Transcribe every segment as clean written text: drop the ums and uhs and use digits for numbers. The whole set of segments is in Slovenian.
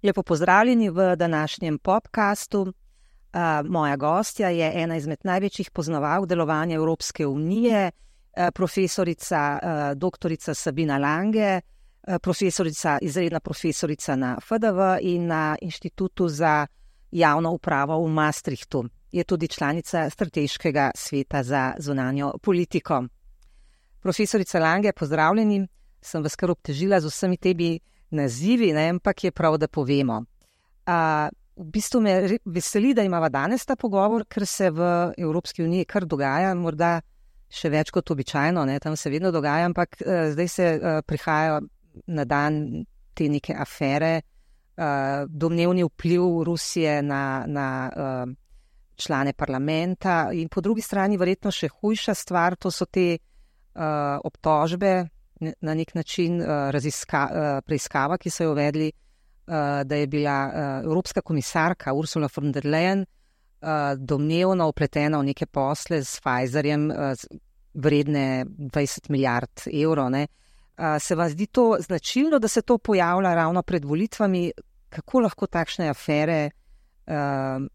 Lepo pozdravljeni v današnjem podcastu. Moja gostja je ena izmed največjih poznavalk delovanja Evropske unije, profesorica doktorica Sabina Lange, izredna profesorica na FDV in na Inštitutu za javno upravo v Maastrichtu. Je tudi članica Strateškega sveta za zunanjo politiko. Profesorica Lange, pozdravljeni. Sem vas kar obtežila z vsemi temi nazivi, ampak je prav, da povemo. V bistvu me veseli, da imava danes ta pogovor, ker se v Evropski uniji kar dogaja, morda še več kot običajno, tam se vedno dogaja, ampak zdaj se prihajajo na dan te neke afere, domnevni vpliv Rusije na člane parlamenta in po drugi strani verjetno še hujša stvar, to so te obtožbe, na nek način preiskava, ki so jo uvedli, da je bila evropska komisarka Ursula von der Leyen domnevno vpletena v neke posle s Pfizerjem vredne 20 milijard evrov. Se vam zdi to značilno, da se to pojavlja ravno pred volitvami? Kako lahko takšne afere,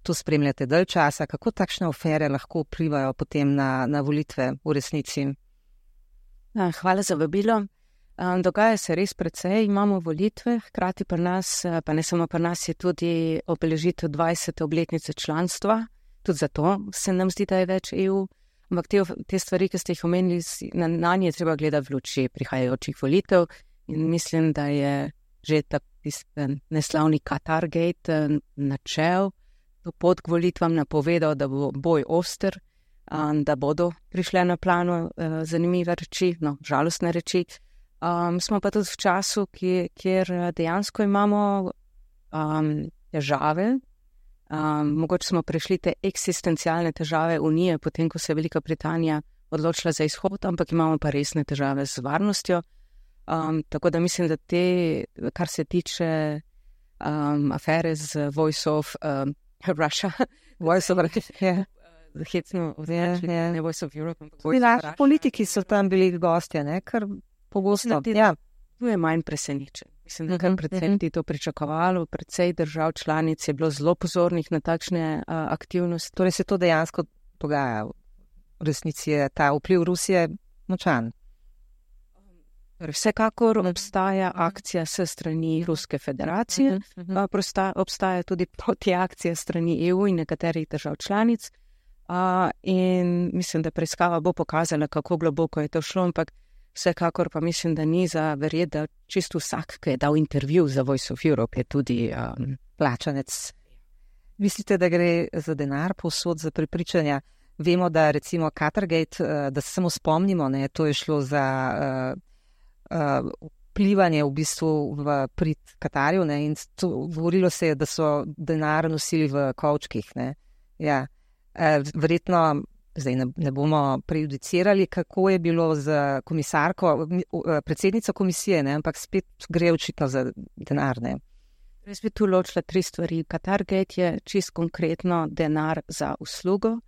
to spremljate dalj časa, kako takšne afere lahko vplivajo potem na volitve v resnici? Hvala za vabilo. Dogaja se res precej, imamo volitve, hkrati pri nas, pa ne samo pri nas, je tudi obeležitev 20. obletnice članstva, tudi zato se nam zdi, da je več EU, ampak te stvari, ki ste jih omenili, na nje je treba gledati v luči prihajajočih volitev in mislim, da je že neslavni Qatargate načel to pot k volitvam, napovedal, da bo boj oster, da bodo prišle na plano zanimive reči, žalostne reči. Smo pa tudi v času, kjer dejansko imamo težave. Mogoče smo prešli te eksistencialne težave Unije, potem ko se je Velika Britanija odločila za izhod, ampak imamo pa resne težave z varnostjo. Tako da mislim, da kar se tiče afere z Voice of Russia, Voice of Russia, hecno označili, ne Voice of Europe. Politiki so tam bili gostje, kar pogosto. Tu je manj presenečen. Mislim, da kar predvsem to pričakovalo, precej držav članic je bilo zelo pozornih na takšne aktivnosti. Torej se to dejansko dogaja. V resnici je ta vpliv Rusije močan. Vsekakor obstaja akcija s strani Ruske federacije, obstaja tudi protiakcija strani EU in nekaterih držav članic in mislim, da preiskava bo pokazala, kako globoko je to šlo, ampak vsekakor pa mislim, da ni za verjeti, da čisto vsak, ki je dal intervju za Voice of Europe, je tudi plačanec. Mislite, da gre za denar povsod, za prepričanja? Vemo, da recimo Qatargate, da se samo spomnimo, to je šlo za vplivanje v bistvu v prid Katarju, in govorilo se je, da so denar nosili v kovčkih. Ja. Verjetno zdaj ne bomo prejudicirali, kako je bilo z komisarko, predsednico komisije, ampak spet gre očitno za denar. Jaz bi tu ločila 3 stvari. Qatargate je čist konkretno denar za uslugo.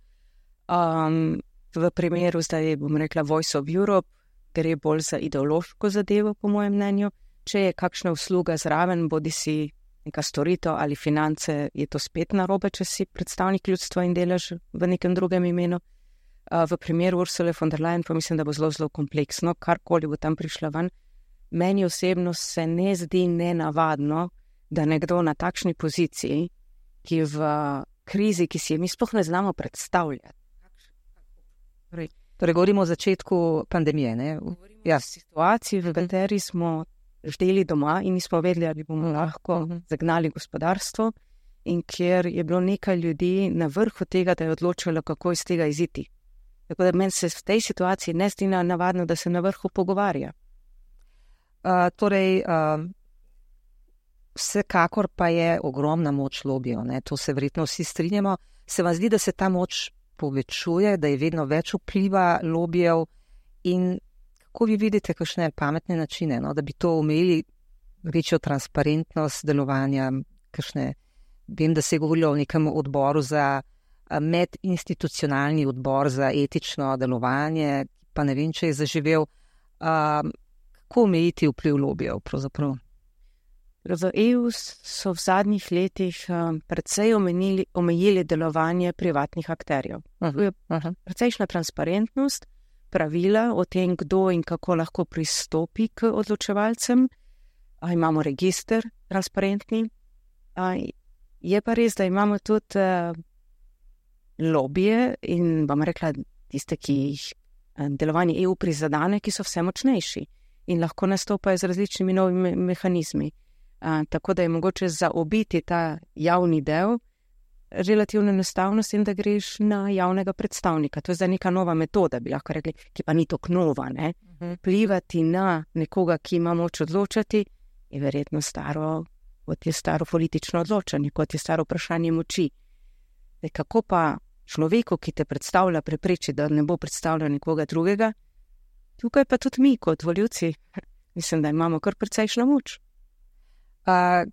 V primeru zdaj bom rekla Voice of Europe, gre bolj za ideološko zadevo, po mojem mnenju. Če je kakšna usluga zraven, bodi si neka storitev ali finance, je to spet narobe, če si predstavnik ljudstva in delaš v nekem drugem imenu. V primeru Ursule von der Leyen pa mislim, da bo zelo, zelo kompleksno, karkoli bo tam prišla ven. Meni osebno se ne zdi nenavadno, da nekdo na takšni poziciji, ki v krizi, ki si je mi sploh ne znamo predstavljati. Torej govorimo o začetku pandemije, Govorimo o situaciji, v kateri smo ždeli doma in nismo vedeli, ali bomo lahko zagnali gospodarstvo in kjer je bilo nekaj ljudi na vrhu tega, da je odločilo, kako iz tega iziti. Tako da meni se v tej situaciji ne zdi navadno, da se na vrhu pogovarja. Vsekakor pa je ogromna moč lobijev, to se verjetno vsi strinjamo. Se vam zdi, da se ta moč povečuje, da je vedno več vpliva lobijev in kako vi vidite kakšne pametne načine, da bi to omejili, večjo transparentnost delovanja, kakšne, vem, da se je govorilo o nekem odboru za medinstitucionalni odbor za etično delovanje, pa ne vem, če je zaživel. Kako omejiti vpliv lobijev pravzaprav? V EU so v zadnjih letih precej omejili delovanje privatnih akterjev. Precejšnja transparentnost, pravila o tem, kdo in kako lahko pristopi k odločevalcem. Imamo register transparentni. Je pa res, da imamo tudi lobije in bom rekla tiste, ki jih delovanje EU prizadene, ki so vse močnejši in lahko nastopajo z različnimi novimi mehanizmi. Tako da je mogoče zaobiti ta javni del relativno enostavno s tem, da greš na javnega predstavnika. To je zdaj neka nova metoda, bi lahko rekli, ki pa ni tako nova. Vplivati na nekoga, ki ima moč odločati, je verjetno staro, kot je staro politično odločanje, kot je staro vprašanje moči. Kako pa človeku, ki te predstavlja, prepreči, da ne bo predstavljal nekoga drugega? Tukaj pa tudi mi, kot volivci, mislim, da imamo kar precejšno moč.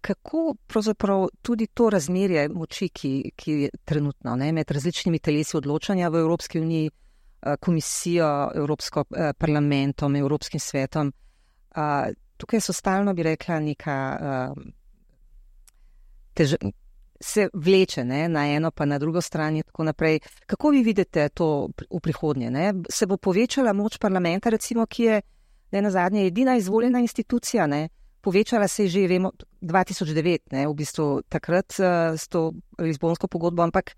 Kako pravzaprav tudi to razmerje moči, ki je trenutno med različnimi telesi odločanja v Evropski uniji, komisijo, Evropsko parlamentom, Evropskim svetom, tukaj so stalno, bi rekla, neka se vleče na eno pa na drugo stran in tako naprej. Kako vi vidite to v prihodnje? Se bo povečala moč parlamenta, recimo, ki je nenazadnje edina izvoljena institucija, povečala se je že, vemo, 2009, v bistvu takrat s to Lizbonsko pogodbo, ampak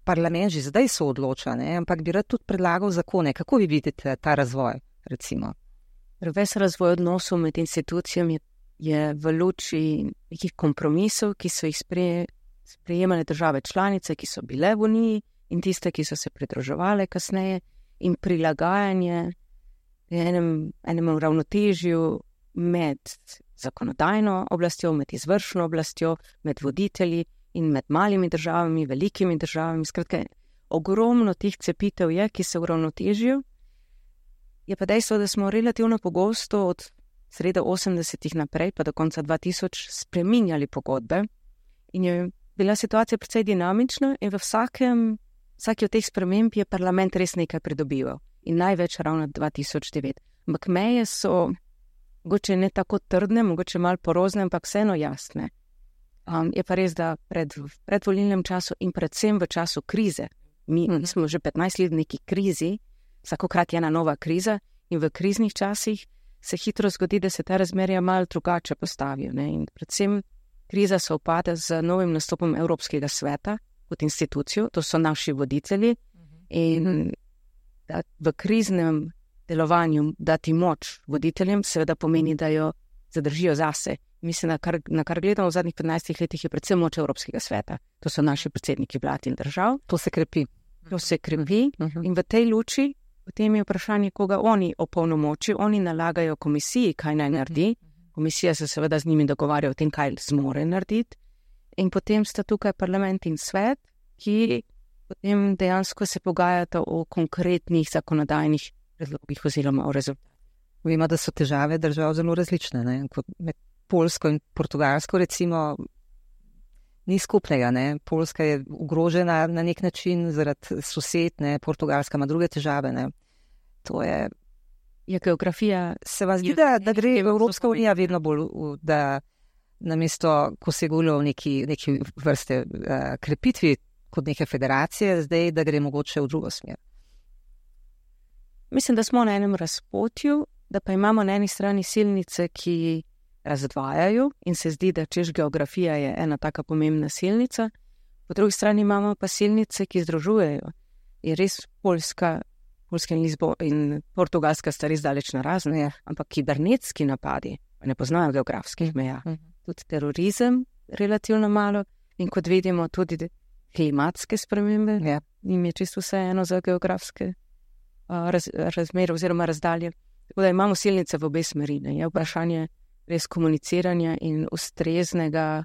parlament že zdaj se odloča, ampak bi rad tudi predlagal zakone. Kako vi vidite ta razvoj, recimo? Ves razvoj odnosov med institucijami je v luči nekih kompromisov, ki so jih sprejemale države članice, ki so bile v Uniji in tiste, ki so se pridruževale kasneje, in prilagajanje enemu ravnotežju med zakonodajno oblastjo, med izvršno oblastjo, med voditelji in med malimi državami, velikimi državami. Skratka, ogromno teh cepitev je, ki se uravnotežijo. Je pa dejstvo, da smo relativno pogosto od srede 80-ih naprej, pa do konca 2000, spreminjali pogodbe in je bila situacija precej dinamična in v vsaki od teh sprememb je parlament res nekaj pridobival in največ ravno 2009. Ampak meje so mogoče ne tako trdne, mogoče malo porozne, ampak vseeno jasne. Je pa res, da predvolilnem času in predvsem v času krize, mi smo že 15 let v neki krizi, vsakokrat je ena nova kriza in v kriznih časih se hitro zgodi, da se ta razmerja malo drugače postavijo. In predvsem kriza se upada z novim nastopom Evropskega sveta kot institucijo, to so naši voditelji in v kriznem delovanju dati moč voditeljem seveda pomeni, da jo zadržijo zase. Mislim, na kar gledamo v zadnjih 15 letih, je predvsem moč Evropskega sveta. To so naši predsedniki vlad in držav. To se krepi. In v tej luči potem je vprašanje, koga oni opolnomočijo. Oni nalagajo komisiji, kaj naj naredi. Komisija se seveda z njimi dogovarja o tem, kaj zmore narediti. In potem sta tukaj parlament in svet, ki potem dejansko se pogajata o konkretnih zakonodajnih predlogih oziroma o rezultatih. Vemo, da so težave držav zelo različne. Kot med Poljsko in Portugalsko recimo ni skupnega. Poljska je ogrožena na nek način zaradi sosed, Portugalska ima druge težave. To je geografija. Se vam zdi, da gre Evropska unija vedno bolj, da namesto, ko se je govorilo o neki vrste krepitvi kot neke federacije, zdaj, da gre mogoče v drugo smer? Mislim, da smo na enem razpotju, da pa imamo na eni strani silnice, ki razdvajajo in se zdi, da češ geografija je ena taka pomembna silnica, po drugi strani imamo pa silnice, ki združujejo. Je res Poljska in Portugalska sta res daleč narazne, ampak kibernetski napadi ne poznajo geografskih meja. Tudi terorizem relativno malo in kot vidimo tudi klimatske spremembe, njim je čisto vse eno za geografske razmere oziroma razdalje. Tako da imamo silnice v obe smeri. Je vprašanje res komuniciranja in ustreznega,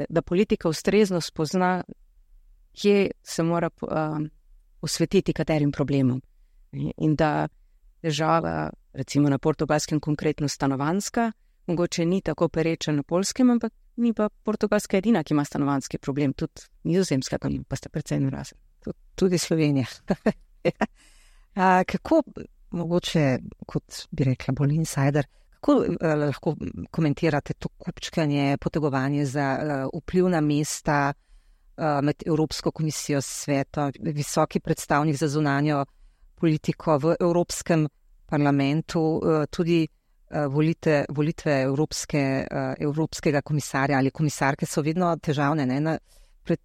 da politika ustrezno spozna, kje se mora posvetiti katerim problemom. In da težava, recimo na Portugalskem konkretno stanovanjska, mogoče ni tako pereča na Poljskem, ampak ni pa Portugalska edina, ki ima stanovanjski problem, tudi Nizozemska, pa sta precej narazen. Tudi Slovenija. Kako, mogoče, kot bi rekla, bolj insider, kako lahko komentirate to kupčkanje, potegovanje za vpliv na mesta med Evropsko komisijo, svetom, visoki predstavnik za zunanjo politiko v Evropskem parlamentu, tudi volitve evropskega komisarja ali komisarke so vedno težavne. Ne? Pred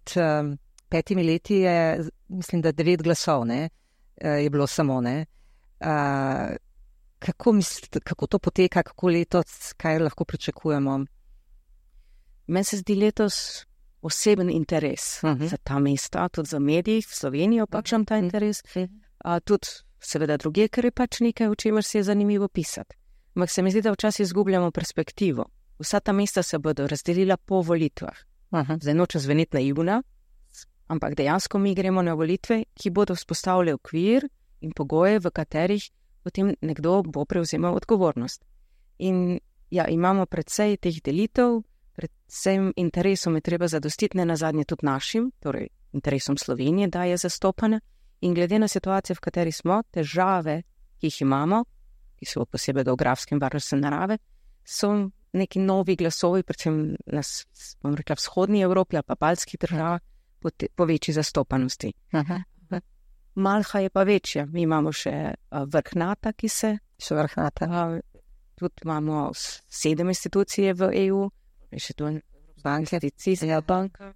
5 leti je, mislim, da 9 glasov, ne? Je bilo samo. Ne? Kako to poteka, kako letos, kaj lahko pričakujemo? Meni se zdi letos oseben interes za ta mesta, tudi za mediji v Sloveniji opačam ta interes, tudi seveda druge, ker je pač nekaj, o čemer se je zanimivo pisati. Ampak se mi zdi, da včasih izgubljamo perspektivo. Vsa ta mesta se bodo razdelila po volitvah. Zdaj noče zveneti naivna, ampak dejansko mi gremo na volitve, ki bodo vzpostavili okvir in pogoje, v katerih potem nekdo bo prevzemal odgovornost. In ja, imamo predvsej teh delitev, predvsem interesom je treba zadostiti, ne nazadnje tudi našim, torej interesom Slovenije, da je zastopana. In glede na situacijo, v kateri smo, težave, ki jih imamo, ki so posebej geografske in varnostne narave, so neki novi glasovi, predvsem bom rekla, vzhodni Evropi ali pa baltskih državah, po večji zastopanosti. Malha je pa večja. Mi imamo še vrh NATO, ki se... Še vrh NATO. Tudi imamo 7 institucije v EU, še tu banke, banka.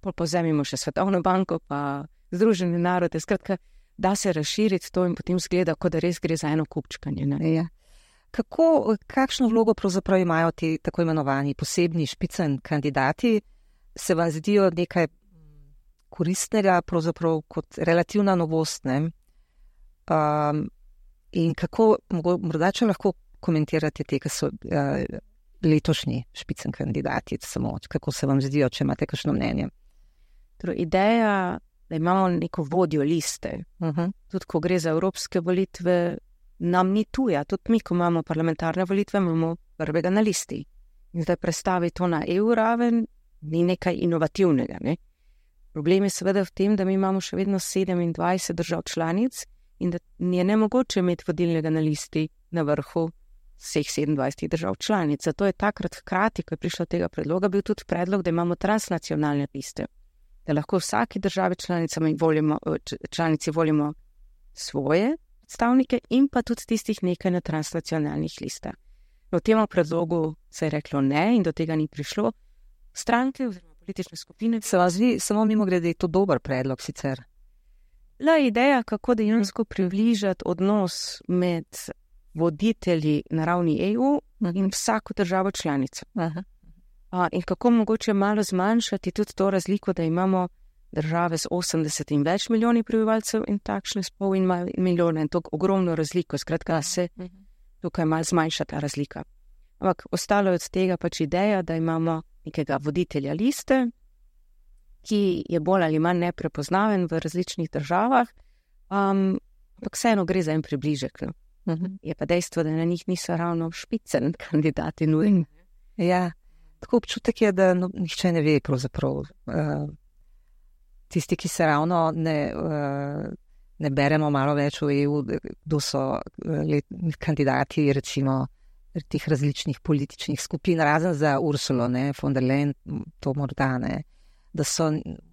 Pozemimo še Svetovno banko, pa Združene narode. Skratka, da se razširiti to in potem zgleda, kot da res gre za eno kupčkanje. Ja. Kakšno vlogo pravzaprav imajo ti tako imenovani posebni špicen kandidati? Se vam zdijo nekaj koristnega, pravzaprav kot relativna novost, ne? In kako, morda če lahko komentirate te, ki so letošnji špicen kandidati, samo kako se vam zdijo, če imate kakšno mnenje? Torej, ideja, da imamo neko vodjo liste, tudi ko gre za evropske volitve, nam ni tuja. Tudi mi, ko imamo parlamentarne volitve, imamo prvega na listi. In zdaj predstavi to na EU raven, ni nekaj inovativnega. Ne? Problem je seveda v tem, da mi imamo še vedno 27 držav članic in da je nemogoče imeti vodilnega na listi na vrhu vseh 27 držav članic. Zato je takrat hkrati, ko je prišlo tega predloga, bil tudi predlog, da imamo transnacionalne liste. Da lahko vsaki državi članici volimo svoje predstavnike in pa tudi tistih nekaj na transnacionalnih listah. V tem predlogu se je reklo ne in do tega ni prišlo. Stranke oziroma politične skupine. Se vam zdi, samo mimogrede, je to dober predlog sicer? La ideja, kako dejansko približati odnos med voditelji na ravni EU in vsako državo članico. In kako mogoče malo zmanjšati tudi to razliko, da imamo države z 80 in več milijoni prebivalcev in takšne s pol in milijone in to ogromno razliko. Skratka, se tukaj malo zmanjša ta razlika. Ampak ostalo je od tega pač ideja, da imamo nekega voditelja liste, ki je bolj ali manj neprepoznaven v različnih državah, ampak vseeno gre za en približek. Je pa dejstvo, da na njih niso ravno špicen kandidati nujni. Ja, tako občutek je, da nihče ne ve pravzaprav. Tisti, ki se ravno ne beremo malo več v EU, kdo so kandidati, recimo, teh različnih političnih skupin, razen za Ursulo, ne, von der Leyen, to morda ne, da so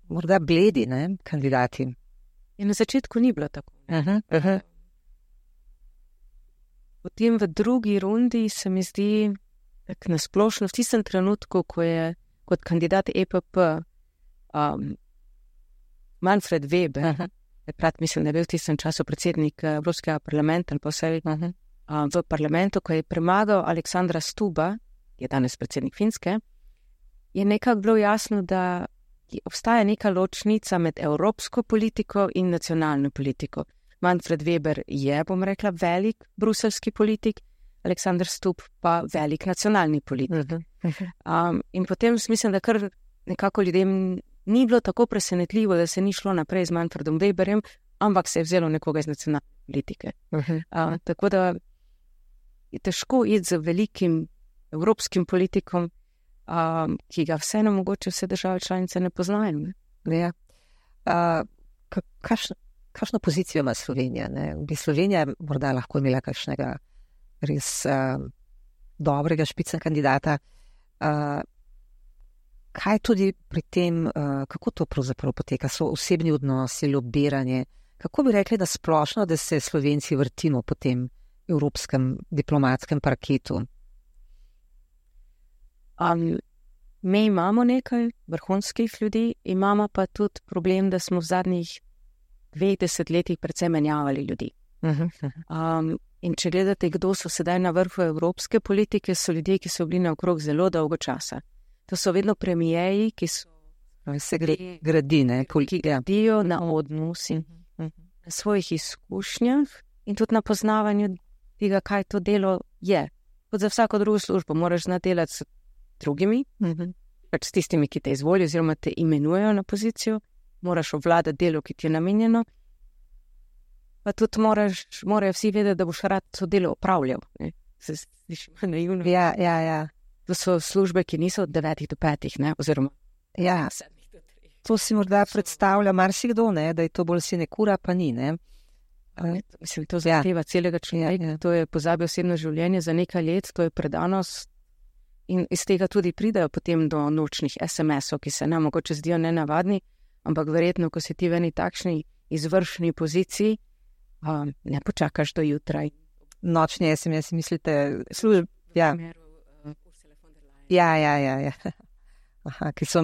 morda bledi, ne, kandidati. In na začetku ni bilo tako. Potem v drugi rundi se mi zdi, tak nasplošno v tistem trenutku, ko je kot kandidat EPP Manfred Weber, mislim, da je bil v tistem času predsednik Evropskega parlamenta ali pa vse v parlamentu, ko je premagal Aleksandra Stuba, ki je danes predsednik Finske, je nekako bilo jasno, da obstaja neka ločnica med evropsko politiko in nacionalno politiko. Manfred Weber je, bom rekla, velik bruselski politik, Aleksandar Stub pa velik nacionalni politik. In potem mislim, da kar nekako ljudem ni bilo tako presenetljivo, da se ni šlo naprej z Manfredom Weberjem, ampak se je vzelo nekoga iz nacionalne politike. Tako da je težko iti z velikim evropskim politikom, ki ga vseeno mogoče vse države članice ne poznajo. Ja. kakšno pozicijo ima Slovenija? Ne? Bi Slovenija morda lahko imela kakšnega res dobrega špicen kandidata? Kaj tudi pri tem, kako to pravzaprav poteka? So osebni odnosi, lobiranje? Kako bi rekli, da splošno, da se Slovenci vrtimo po tem evropskem diplomatskem parketu? Mi imamo nekaj vrhunskih ljudi, imamo pa tudi problem, da smo v zadnjih 20 letih predvsem menjavali ljudi. In če gledate, kdo so sedaj na vrhu evropske politike, so ljudje, ki so bili naokrog zelo dolgo časa. To so vedno premijeji, ki so ki gradijo na odnosi, na svojih izkušnjah in tudi na poznavanju tega, kaj to delo je. Kot za vsako drugo službo moraš znati delati s drugimi, pač s tistimi, ki te izvolijo oziroma te imenujejo na pozicijo, moraš obvladati delo, ki ti je namenjeno, pa tudi morajo vsi vedeti, da boš rad to delo opravljal. Ne? Se sliši naivno. Ja. To so službe, ki niso od 9 do 5, ne? Oziroma 7 do 3. To si morda predstavlja marsikdo, ne? Da je to bolj sinekura, pa ni, ne? Mislim, to zahteva celega človeka, to je pozabi osebno življenje za nekaj let, to je predanost in iz tega tudi pridajo potem do nočnih SMS-ov, ki se nam mogoče zdijo nenavadni, ampak verjetno, ko si ti v eni takšni izvršni poziciji, ne počakaš do jutra. Nočni SMS, mislite, ja. Ja. Aha, ki so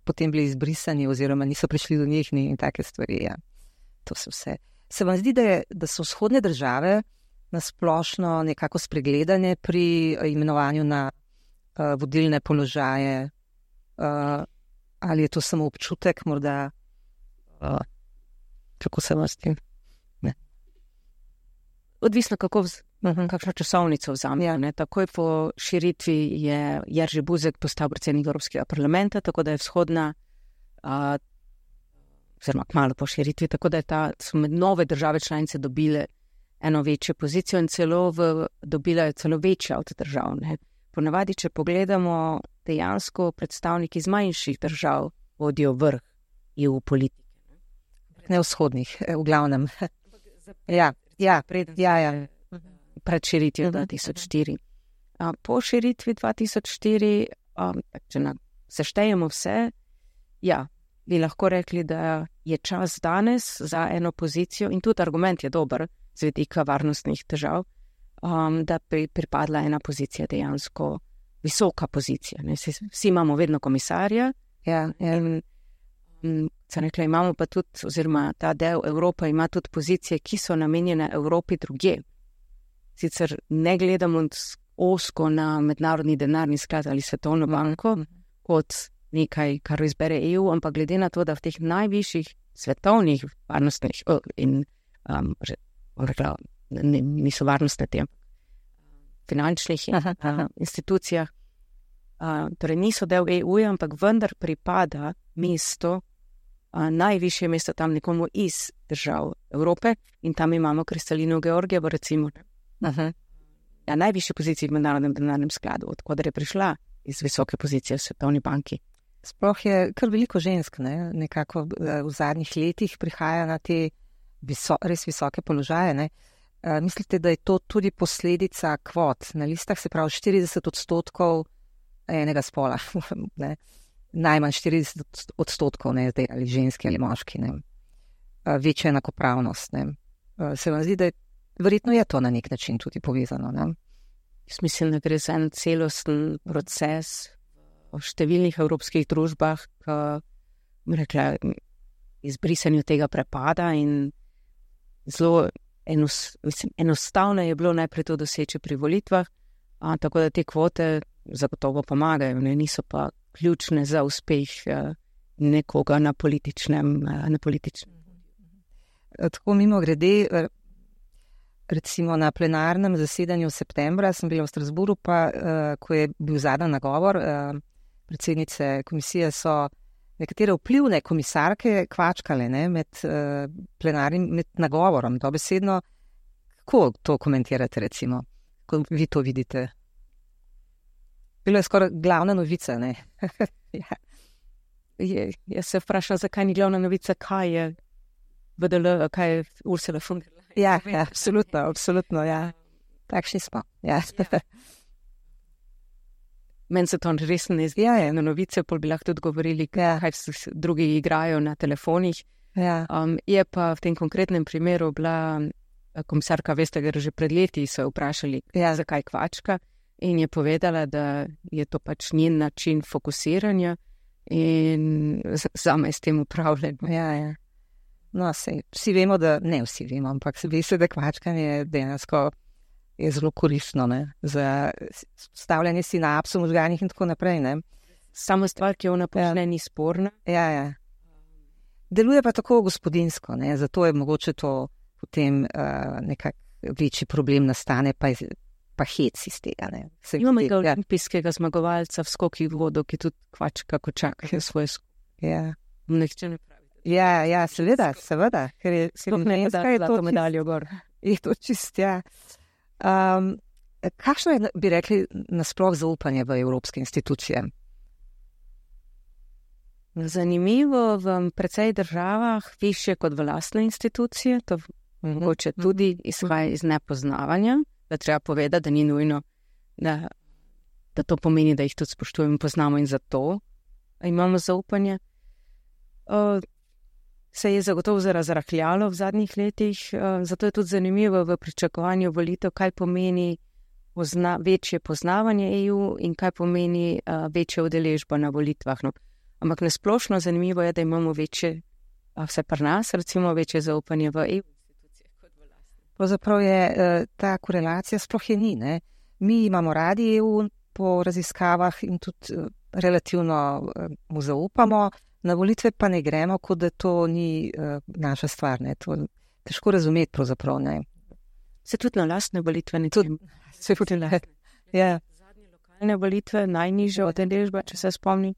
potem bili izbrisani oziroma niso prišli do njih in take stvari, ja. To so vse. Se vam zdi, da so vzhodne države nasplošno nekako spregledane pri imenovanju na vodilne položaje? Ali je to samo občutek, morda? Kako se vam zdi? Odvisno, kakšno časovnico vzame. Ja. Takoj po širitvi je Jerzy Buzek postal predsednik Evropskega parlamenta, tako da je vzhodna, oziroma kmalu po širitvi, tako da so nove države članice dobile eno večjo pozicijo in dobila je celo večja od držav. Ne. Ponavadi, če pogledamo, dejansko predstavniki iz manjših držav vodijo vrh EU politike. Ne vzhodnih, v glavnem. Pred širitvijo 2004. Po širitvi 2004, če seštejemo vse, bi lahko rekli, da je čas danes za eno pozicijo in tudi argument je dober z vidika varnostnih težav, da pripadla ena pozicija dejansko visoka pozicija. Ne? Vsi imamo vedno komisarja. Sem rekla, imamo pa tudi, oziroma ta del Evropa ima tudi pozicije, ki so namenjene Evropi drugje. Sicer ne gledamo ozko na mednarodni denarni sklad ali svetovno banko kot nekaj, kar izbere EU, ampak glede na to, da v teh najvišjih svetovnih varnostnih niso varnostne te finančnih institucijah, torej niso del EU, ampak vendar pripada mesto, najvišje mesto tam nekomu iz držav Evrope in tam imamo Kristalino Georgijevo recimo. Najvišje pozicije v mednarodnem denarnem skladu, odkudar je prišla iz visoke pozicije v svetovni banki. Sploh je kar veliko žensk, ne? Nekako v zadnjih letih prihaja na te res visoke položaje. Ne? Mislite, da je to tudi posledica kvot na listah, se pravi 40% enega spola, ne? Najmanj 40%, ne, zdaj, ali ženski ali moški, ne? Večja enakopravnost. Ne? Se vam zdi, da verjetno je to na nek način tudi povezano? Ne? Jaz mislim, da gre za en celosten proces v številnih evropskih družbah, rekla, izbrisanju tega prepada in zelo enostavno je bilo najprej to doseči pri volitvah, tako da te kvote zagotovo pomagajo, ne? Niso pa ključne za uspeh nekoga na političnem. Tako mimo grede, recimo na plenarnem zasedanju septembra sem bila v Strasbourgu, pa ko je bil zadnji nagovor predsednice komisije, so nekatere vplivne komisarke kvačkale, ne, med plenarnim, med nagovorom, dobesedno. Kako to komentirate, recimo, ko vi to vidite? Bilo je skoraj glavna novica, ne? Jaz se vprašam, zakaj ni glavna novica, kaj je VDL, kaj je Ursula von der Leyen. Ja, absolutno, ja. Takšni smo, ja. Meni se to res ne zdi. Ja. Na novice pol bi lahko tudi govorili, kaj drugi igrajo na telefonih. Ja. Je pa v tem konkretnem primeru bila komisarka Vestager že pred leti, so jo vprašali, zakaj kvačka, in je povedala, da je to pač njen način fokusiranja in zame s tem upravljanje. Ja. No, vsi vemo, ne vsi vemo, ampak ve se, da kvačkanje dejansko je zelo koristno, ne, za stavljanje sinapsov v možganih in tako naprej, ne. Samo stvar, ki jo napočne, ni sporna. Ja. Deluje pa tako gospodinsko, ne, zato je mogoče to potem nekak večji problem nastane, pa hec iz tega, ne. Imamo olimpijskega zmagovalca v skokih v vodo, ki tudi kvačka, ko čaka svoje skoke. Ja. Nihče ne pravi. Ja, seveda, ker je to medaljo gor. Je to čist, ja. Kakšno je, bi rekli, nasploh zaupanje v evropske institucije? Zanimivo, v precej državah više kot v lastne institucije, to mogoče tudi izhaja iz nepoznavanja, da treba povedati, da ni nujno, da to pomeni, da jih tudi spoštujemo in poznamo in zato imamo zaupanje. Se je zagotovo razrahljalo v zadnjih letih, zato je tudi zanimivo v pričakovanju volitev, kaj pomeni večje poznavanje EU in kaj pomeni večja udeležba na volitvah. No. Ampak nasplošno zanimivo je, da imamo večje, vse pri nas, recimo večje zaupanje v EU institucijah kot v lastnih. Pravzaprav je ta korelacija sploh je ni, ne. Mi imamo radi EU po raziskavah in tudi relativno mu zaupamo, na volitve pa ne gremo, kot da to ni naša stvar, ne. To težko razumeti pravzaprav, ne. Se tudi na lastne volitve ne tudi. Se tudi ne. Ja. Zadnje lokalne volitve, najnižja udeležba, če se spomnim.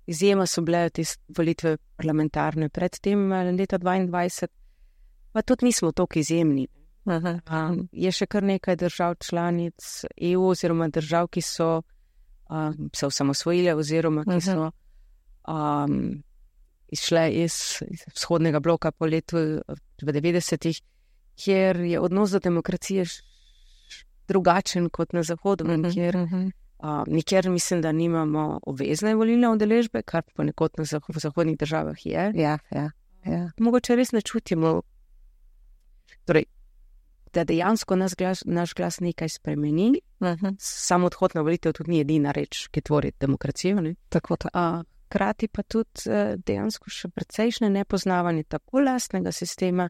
Izjema so bile te volitve parlamentarne pred tem leta 2022, pa tudi nismo toliko izjemni. Je še kar nekaj držav članic EU oziroma držav, ki so se osamosvojile oziroma ki so izšle iz vzhodnega bloka po letu v 90-ih, kjer je odnos do demokracije drugačen kot na zahodu, kjer nikjer mislim, da nimamo obvezne volilne udeležbe, kar ponekod v zahodnih državah je. Ja. Mogoče res ne čutimo, torej, da dejansko naš glas nekaj spremeni. Samo odhod na volitev tudi ni edina reč, ki tvori demokracijo. Ne? Tako. Krati pa tudi dejansko še precejšnje nepoznavanje tako lastnega sistema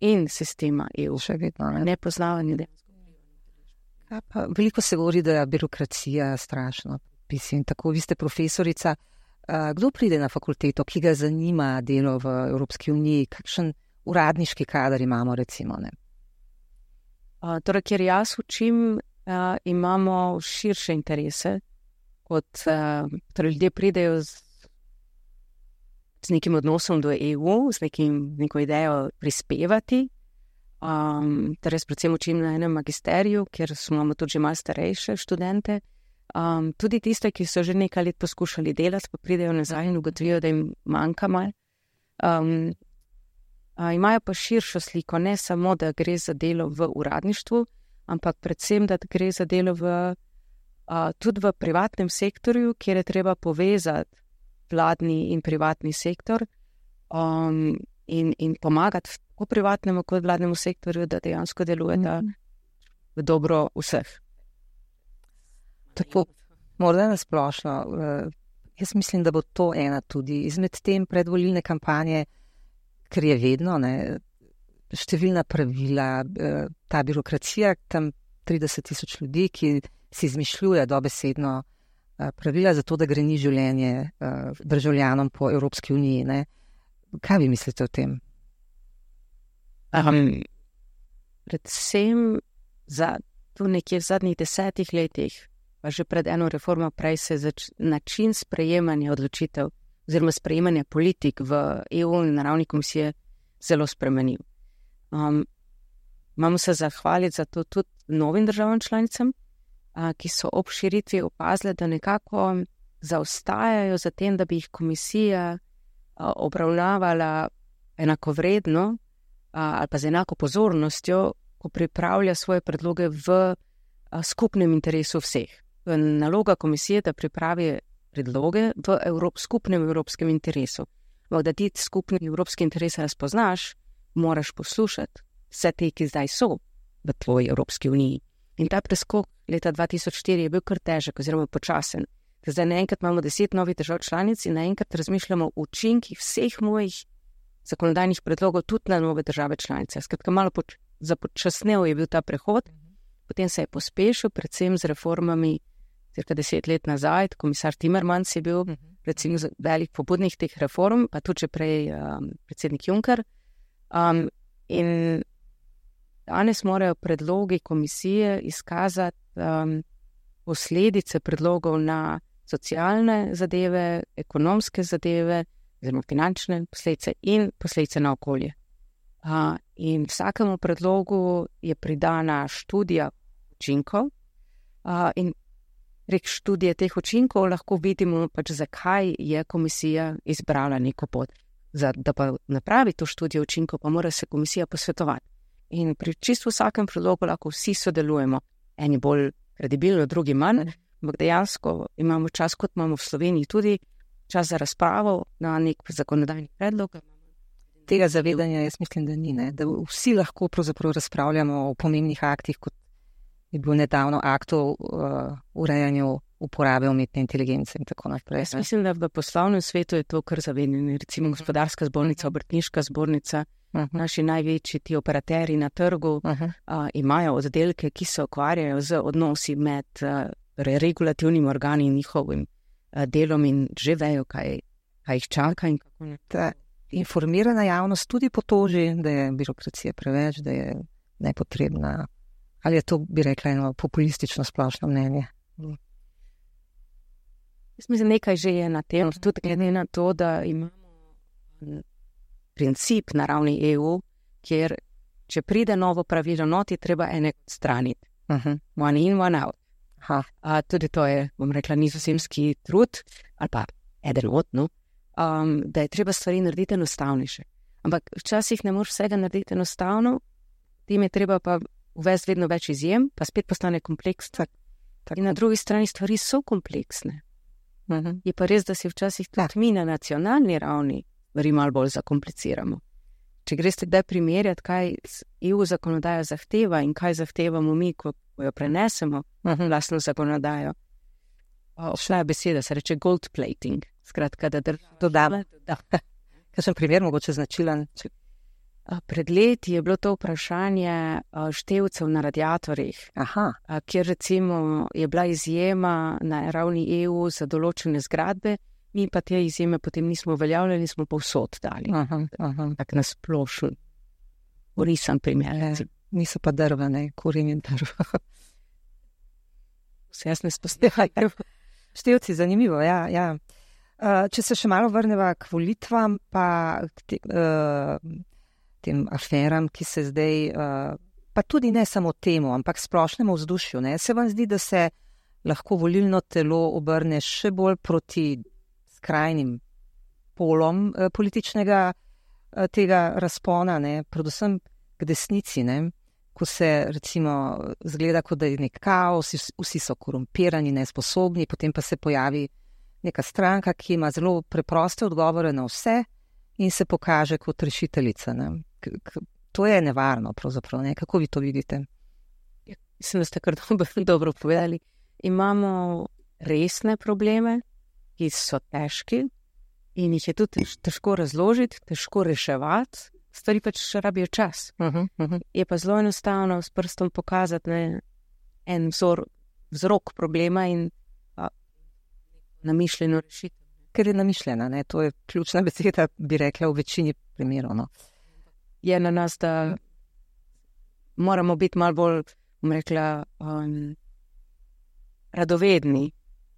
in sistema EU. Še vedno, ne? Nepoznavanje dejansko. Veliko se govori, da je birokracija strašno. Tako, vi ste profesorica. Kdo pride na fakulteto, ki ga zanima delo v Evropski uniji? Kakšen uradniški kader imamo, recimo? Ne? Torej, kjer jaz učim, imamo širše interese. Torej, ljudje pridejo z nekim odnosom do EU, z neko idejo prispevati. Torej, predvsem učim na enem magisteriju, kjer imamo tudi že malo starejše študente. Tudi tiste, ki so že nekaj let poskušali delati, pa pridejo nazaj in ugotovijo, da jim manjka malo. Imajo pa širšo sliko, ne samo, da gre za delo v uradništvu, ampak predvsem, da gre za delo tudi v privatnem sektorju, kjer je treba povezati vladni in privatni sektor in pomagati tako privatnemu kot vladnemu sektorju, da dejansko delujeta v dobro vseh. Tako, morda nasplošno. Jaz mislim, da bo to ena tudi izmed tem predvolilne kampanje, ker je vedno, ne, številna pravila, ta birokracija, tam 30,000 ljudi, ki si izmišljuje dobesedno pravila za to, da greni življenje državljanom po Evropski uniji. Ne. Kaj vi mislite o tem? Predvsem tu nekje v zadnjih 10 letih, pa že pred eno reformo prej se način sprejemanja odločitev oziroma sprejemanja politik v EU in na ravni komisije zelo spremenil. Imamo se zahvaliti za to tudi novim državam članicam, ki so ob širitvi opazile, da nekako zaostajajo za tem, da bi jih komisija obravnavala enakovredno ali pa z enako pozornostjo, ko pripravlja svoje predloge v skupnem interesu vseh. Naloga komisije, da pripravi predloge v skupnem evropskem interesu. Da ti skupni evropski interes razpoznaš, moraš poslušati vse te, ki zdaj so v tvoji Evropski uniji. In ta preskok leta 2004 je bil kar težek oziroma počasen. Zdaj naenkrat imamo 10 novih držav članic in naenkrat razmišljamo o učinkih vseh mojih zakonodajnih predlogov tudi na nove države članice. Skratka, malo započasnel je bil ta prehod, potem se je pospešil, predvsem z reformami cirka 10 let nazaj. Komisar Timmermans je bil recimo velik pobudnik teh reform, pa tudi že prej predsednik Juncker. In danes morajo predlogi komisije izkazati posledice predlogov na socialne zadeve, ekonomske zadeve, oziroma finančne posledice in posledice na okolje. In vsakemu predlogu je pridana študija učinkov in prek študije teh učinkov lahko vidimo, pač zakaj je komisija izbrala neko pot. Da pa napravi to študijo učinkov, pa mora se komisija posvetovati. In pri čisto vsakem predlogu lahko vsi sodelujemo. Eni bolj kredibilno, drugi manj, ampak dejansko imamo čas, kot imamo v Sloveniji tudi, čas za razpravo na nek zakonodajni predlog. Tega zavedanja jaz mislim, da ni, ne? Da vsi lahko pravzaprav razpravljamo o pomembnih aktih, kot je bil nedavno akt o urejanju uporabe umetne inteligence in tako naprej. Jaz mislim, da v poslovnem svetu je to kar zavedanje. Recimo gospodarska zbornica, obrtniška zbornica, naši največji ti operaterji na trgu imajo oddelke, ki se ukvarjajo z odnosi med regulativnimi organi in njihovim delom in že vejo, kaj jih čaka in kako ne. Ta informirana javnost tudi potoži, da je birokracija preveč, da je nepotrebna. Ali je to, bi rekla, eno populistično splošno mnenje? Jaz mislim, nekaj že je na tem, tudi glede na to, da imamo princip na ravni EU, kjer če pride novo pravilo noti, treba enega odstraniti. One in, one out. Tudi to je, bom rekla, nizozemski trud, ali pa eden od, da je treba stvari narediti enostavnejše. Ampak včasih ne moreš vsega narediti enostavno, tem je treba pa uvesti vedno več izjem, pa spet postane kompleksno. In na drugi strani stvari so kompleksne. Je pa res, da si včasih tudi mi na nacionalni ravni stvari malo bolj zakompliciramo. Če greste kdaj primerjati, kaj EU zakonodaja zahteva in kaj zahtevamo mi, ko jo prenesemo vlastno zakonodajo. Šla je beseda, se reče gold plating. Skratka, da dodamo. Kakšen primer mogoče značilen? Pred leti je bilo to vprašanje števcev na radiatorjih, kjer recimo je bila izjema na ravni EU za določene zgradbe, mi pa te izjeme potem nismo uveljavljali, smo povsod dali. Tak nasplošen, orisan primer. Niso pa drva, ne, kurin in drva. Vse jasne spostavljajo. Števci, zanimivo, ja. Če se še malo vrneva k volitvam, pa k tem aferam, ki se zdaj, pa tudi ne samo temu, ampak splošnemu vzdušju, ne. Se vam zdi, da se lahko volilno telo obrne še bolj proti skrajnim polom političnega tega razpona, ne, predvsem k desnici, ne, ko se recimo zgleda, kot da je nek kaos, vsi so korumpirani, nesposobni, potem pa se pojavi neka stranka, ki ima zelo preproste odgovore na vse in se pokaže kot rešiteljica, ne. To je nevarno pravzaprav, ne? Kako vi to vidite? Mislim, da ste kar dobro povedali. Imamo resne probleme, ki so težki in jih je tudi težko razložiti, težko reševati. Stvari pač rabijo čas. Je pa zelo enostavno s prstom pokazati en vzrok problema in namišljeno rešitev. Ker je namišljena, ne? To je ključna beseda, bi rekla, v večini primerov, no. Je na nas, da moramo biti malo bolj, bom rekla, radovedni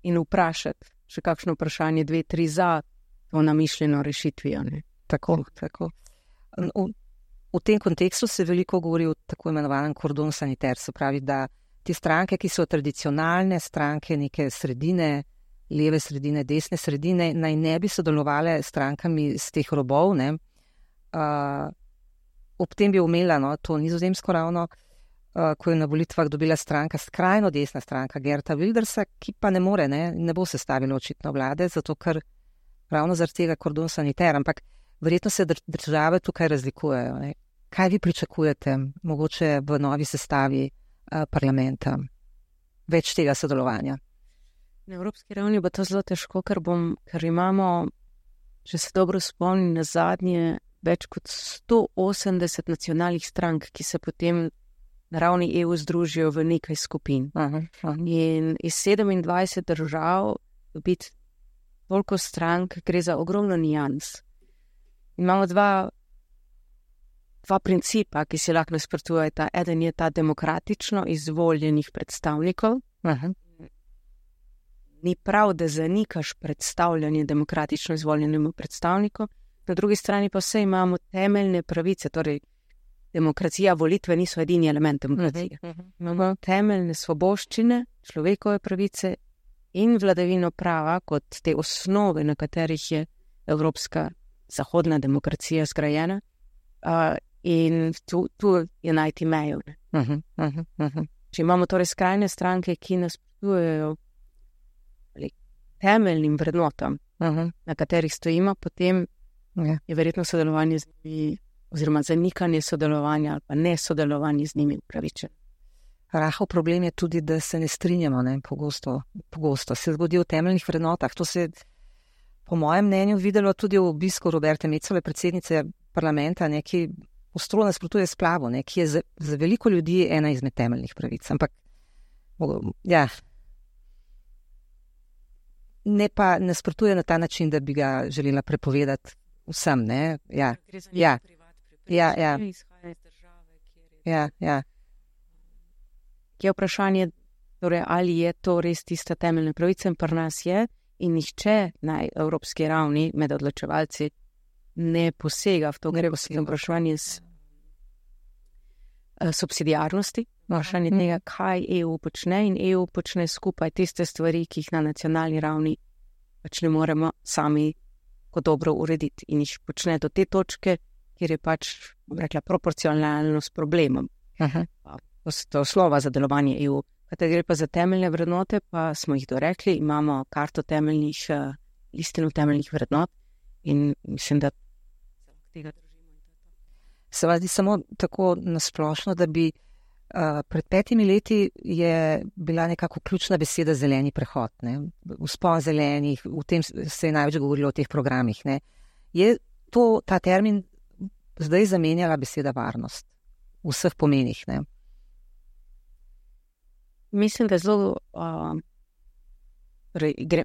in vprašati še kakšno vprašanje, 2, 3 za to namišljeno rešitvijo. Tako. V tem kontekstu se veliko govori o tako imenovanem kordon sanitaire, se pravi, da te stranke, ki so tradicionalne stranke neke sredine, leve sredine, desne sredine, naj ne bi sodelovale s strankami z teh robov, ne, ob tem bi omela, no, to Nizozemsko ravno, ko je na volitvah dobila stranka, skrajno desna stranka Geerta Wildersa, ki pa ne more, ne bo sestavila očitno vlade, zato ker ravno zaradi tega kordon saniter, ampak verjetno se države tukaj razlikujejo. Ne. Kaj vi pričakujete, mogoče v novi sestavi parlamenta? Več tega sodelovanja? Na evropski ravni bo to zelo težko, ker imamo, če se dobro spomnim, na zadnje več kot 180 nacionalnih strank, ki se potem na ravni EU združijo v nekaj skupin. In iz 27 držav dobiti toliko strank, gre za ogromno nijans. Imamo dva principa, ki se lahko nasprotujeta. Eden je ta demokratično izvoljenih predstavnikov. Ni prav, da zanikaš predstavljanje demokratično izvoljenemu predstavniku. Na drugi strani pa vse imamo temeljne pravice, torej demokracija, volitve niso edini element demokracije. Imamo temeljne svoboščine, človekove pravice in vladavino prava kot te osnove, na katerih je evropska zahodna demokracija zgrajena. In tu je najti mejo. Če imamo torej skrajne stranke, ki nasprotujejo temeljnim vrednotam, na katerih stojimo, potem je verjetno sodelovanje z njimi oziroma zanikanje sodelovanja ali pa nesodelovanje z njimi upravičeno. Rahel problem je tudi, da se ne strinjamo, pogosto se zgodi v temeljnih vrednotah. To se je po mojem mnenju videlo tudi v obisku Roberte Mecole, predsednice parlamenta, ki ostro nasprotuje splavu, ki je za veliko ljudi ena izmed temeljnih pravic. Ampak ne pa nasprotuje na ta način, da bi ga želela prepovedati vsem, ne? Gre za nekaj privat prepričanje, izhaja iz države, kjer je... Je vprašanje, torej, ali je to res tista temeljna pravica, in pri nas je, in nihče na evropski ravni med odločevalci ne posega v to, gre v vprašanje subsidiarnosti, vprašanje tega, kaj EU počne, in EU počne skupaj tiste stvari, ki jih na nacionalni ravni pač ne moremo sami kot dobro urediti, in jih počne do te točke, kjer je pač, rekla, proporcionalno s problemom. To slova za delovanje EU. Kajte gre pa za temeljne vrednote, pa smo jih dorekli, imamo karto temeljnih, listino temeljnih vrednot in mislim, da tega držimo. Se vas zdi samo tako nasplošno, da bi pred 5 leti je bila nekako ključna beseda zeleni prehod, ne? Vzpon zelenih, v tem se je največ govorilo o teh programih, ne? Je ta termin zdaj zamenjala beseda varnost v vseh pomenih, ne? Mislim, da zelo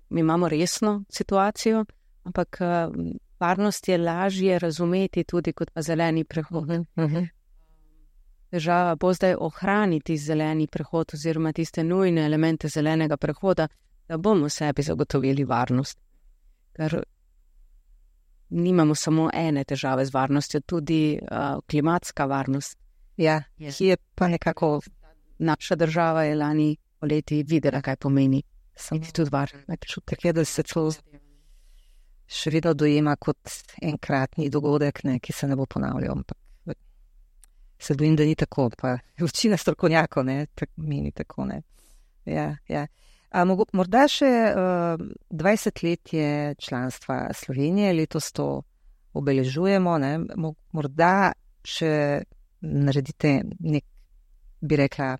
mi imamo resno situacijo, ampak varnost je lažje razumeti tudi kot pa zeleni prehod. Država bo zdaj ohraniti zeleni prehod oziroma tiste nujne elemente zelenega prehoda, da bomo sebi zagotovili varnost. Ker nimamo samo ene težave z varnostjo, tudi klimatska varnost. Ja, ki je pa nekako... Naša država je lani poleti videla, kaj pomeni. Biti tudi varen. Čutek je, da se to še vedno dojema kot enkratni dogodek, ne, ki se ne bo ponavljal. Ampak se bojim, da ni tako. Pa večina strokovnjakov meni tako. Ne. Ja. Morda še 20 let je članstva Slovenije, letos to obeležujemo. Ne. Morda še naredite nek, bi rekla,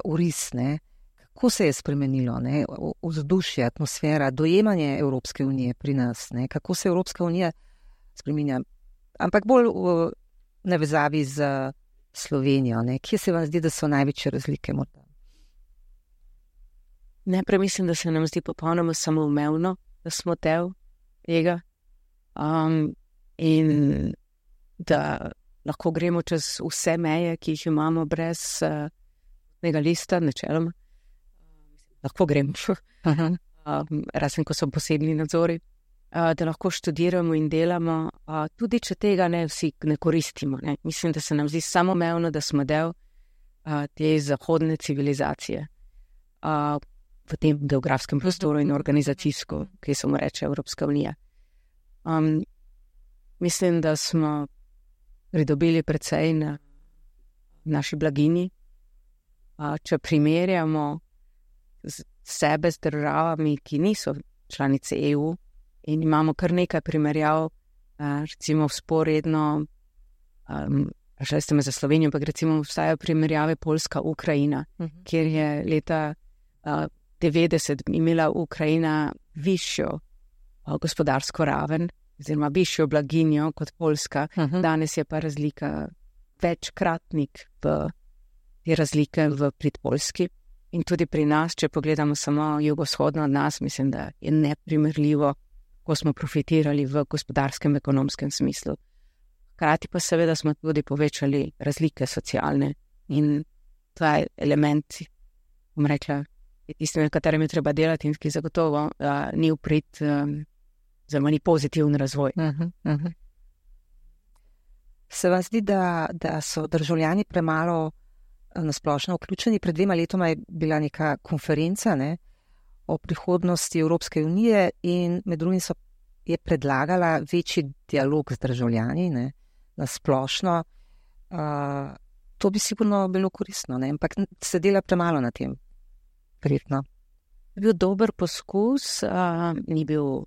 uris, ne? Kako se je spremenilo, ne? Vzdušje, atmosfera, dojemanje Evropske unije pri nas, ne? Kako se Evropska unija spreminja, ampak bolj v navezavi z Slovenijo, ne? Kje se vam zdi, da so največje razlike morda? Najprej mislim, da se nam zdi popolnoma samoumevno, da smo del tega in da lahko gremo čez vse meje, ki jih imamo brez tega lista, načeloma. Lahko gremo, razen ko so posebni nadzori, da lahko študiramo in delamo, tudi če tega ne vsi ne koristimo. Ne. Mislim, da se nam zdi samoumevno, da smo del te zahodne civilizacije v tem geografskem prostoru in organizacijsko, ki se mu reče Evropska unija. Mislim, da smo pridobili precej na naši blaginji. Če primerjamo sebe z državami, ki niso članice EU, in imamo kar nekaj primerjav, recimo vzporedno, šli ste me za Slovenijo, ampak recimo obstajajo primerjave Poljska-Ukrajina, kjer je leta 90 imela Ukrajina višjo gospodarsko raven, oziroma višjo blaginjo kot Poljska. Danes je pa razlika večkratnik v te razlike v prid Poljski. In tudi pri nas, če pogledamo samo jugovzhodno od nas, mislim, da je neprimerljivo, ko smo profitirali v gospodarskem, ekonomskem smislu. Hkrati pa seveda smo tudi povečali razlike socialne in ta element, bom rekla, je tistim, na katerem je treba delati in ki zagotovo ni v prid, zelo ni pozitiven razvoj. Se vam zdi, da so državljani premalo nasplošno vključeni? Pred 2 letoma je bila neka konferenca, ne, o prihodnosti Evropske unije in med drugim je predlagala večji dialog z državljani, ne, nasplošno. To bi sigurno bilo koristno, ne, ampak se dela premalo na tem. Verjetno. Je bil dober poskus, ni bil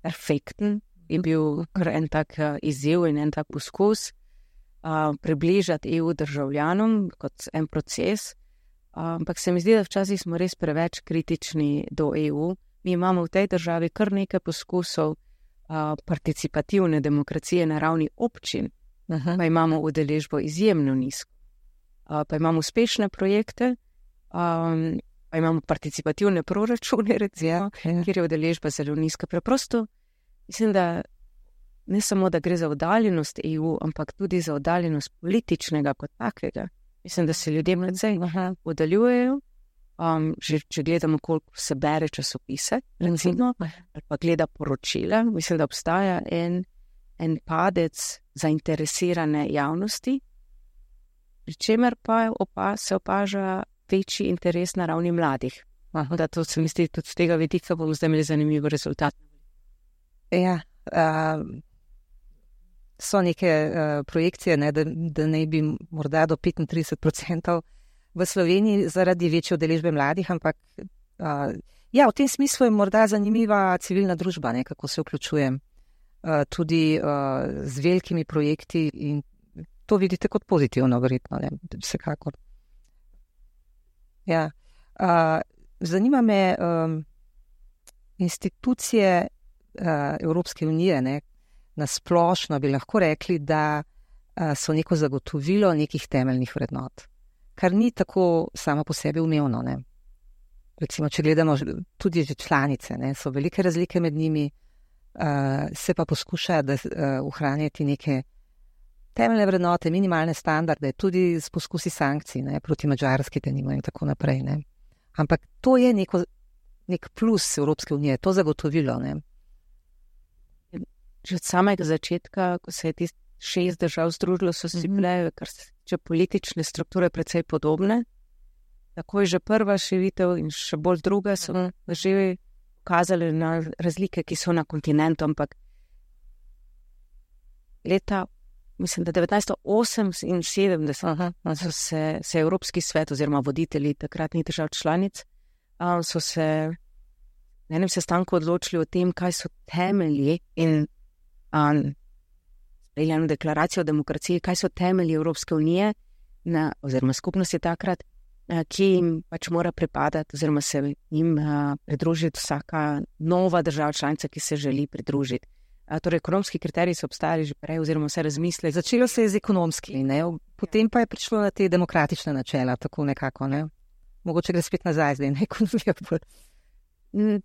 perfekten, je bil kar en tak izziv in en tak poskus približati EU državljanom kot en proces, ampak se mi zdi, da včasih smo res preveč kritični do EU. Mi imamo v tej državi kar nekaj poskusov participativne demokracije na ravni občin, pa imamo udeležbo izjemno nizko. Pa imamo uspešne projekte, pa imamo participativne proračune, recimo, kjer je udeležba zelo nizka. Preprosto mislim, da ne samo, da gre za oddaljenost EU, ampak tudi za oddaljenost političnega kot takega. Mislim, da se ljudje precej oddaljujejo. Že če gledamo, koliko se bere časopise, recimo, ali pa gleda poročila, mislim, da obstaja en padec zainteresirane javnosti, pri čemer pa se opaža večji interes na ravni mladih. Da to se mi zdi tudi z tega vidika, bomo zdaj imeli zanimiv rezultat. Ja, so neke projekcije, ne, da ne bi morda do 35% v Sloveniji zaradi večje udeležbe mladih, ampak ja, v tem smislu je morda zanimiva civilna družba, ne, kako se vključuje tudi z velikimi projekti in to vidite kot pozitivno, verjetno, ne, vsekakor. Ja, zanima me institucije Evropske unije, ne, nasplošno bi lahko rekli, da so neko zagotovilo nekih temeljnih vrednot, kar ni tako samo po sebi umevno, ne. Recimo, če gledamo tudi že članice, ne, so velike razlike med njimi, se pa poskuša ohranjati neke temeljne vrednote, minimalne standarde, tudi s poskusi sankcij, ne, proti Madžarski denimo in tako naprej, ne. Ampak to je nek plus Evropske unije, to zagotovilo, ne. Že od samega začetka, ko se je tist 6 držav združilo, so si bile, kar se tiče politične strukture, precej podobne. Tako je že prva širitev in še bolj druga so že ukazali na razlike, ki so na kontinentu, ampak leta, mislim, da 1978 so se Evropski svet oziroma voditelji takratnih držav članic so se na enem sestanku odločili o tem, kaj so temelji in sprejeli deklaracijo o demokraciji, kaj so temelji Evropske unije oziroma skupnosti takrat, ki jim pač mora pripadati oziroma se jim pridružiti vsaka nova država članica, ki se želi pridružiti. Torej, ekonomski kriteriji so obstajali že prej oziroma vse razmisle. Začelo se je z ekonomskimi, ne? Potem pa je prišlo na te demokratične načela, tako nekako, ne? Mogoče gre spet nazaj zdaj na ekonomijo.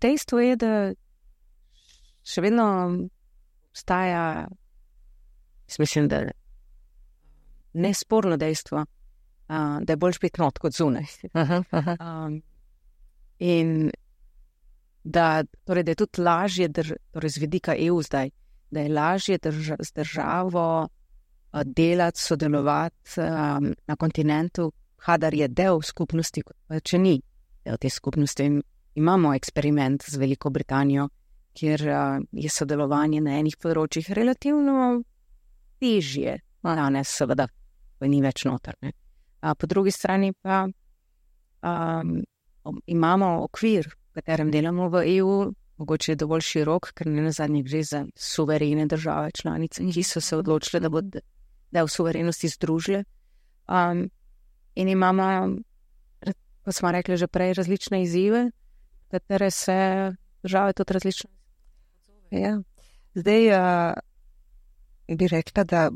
Dejstvo je, da še vedno obstaja, mislim, da nesporno dejstvo, da je bolj spet not kot zunaj. In da je tudi lažje, torej z vidika EU zdaj, da je lažje z državo delati, sodelovati na kontinentu, kadar je del skupnosti, kot pa če ni del te skupnosti. Imamo eksperiment z Veliko Britanijo, kjer je sodelovanje na enih področjih relativno težje danes seveda ni več noter. Ne. Po drugi strani pa imamo okvir, v katerem delamo v EU, mogoče je dovolj širok, ker ne nazadnje gre za suverene države članice, ki so se odločile, da bodo v suverenosti združile. In imamo, kot smo rekli že prej, različne izzive, katere se države tudi različno odzovejo. Ja. Zdaj bi rekla, da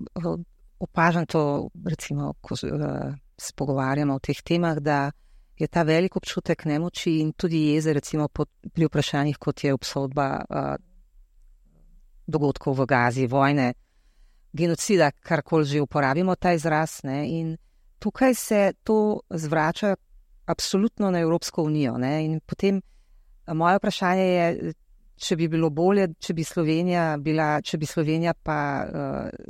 opažam to, recimo, ko se pogovarjamo o teh temah, da je ta velik občutek nemoči in tudi jeze, recimo pri vprašanjih, kot je obsodba dogodkov v Gazi, vojne, genocida, karkoli že uporabimo ta izraz, ne? In tukaj se to zvrača absolutno na Evropsko unijo, ne? In potem moje vprašanje je, če bi bilo bolje, če bi Slovenija pa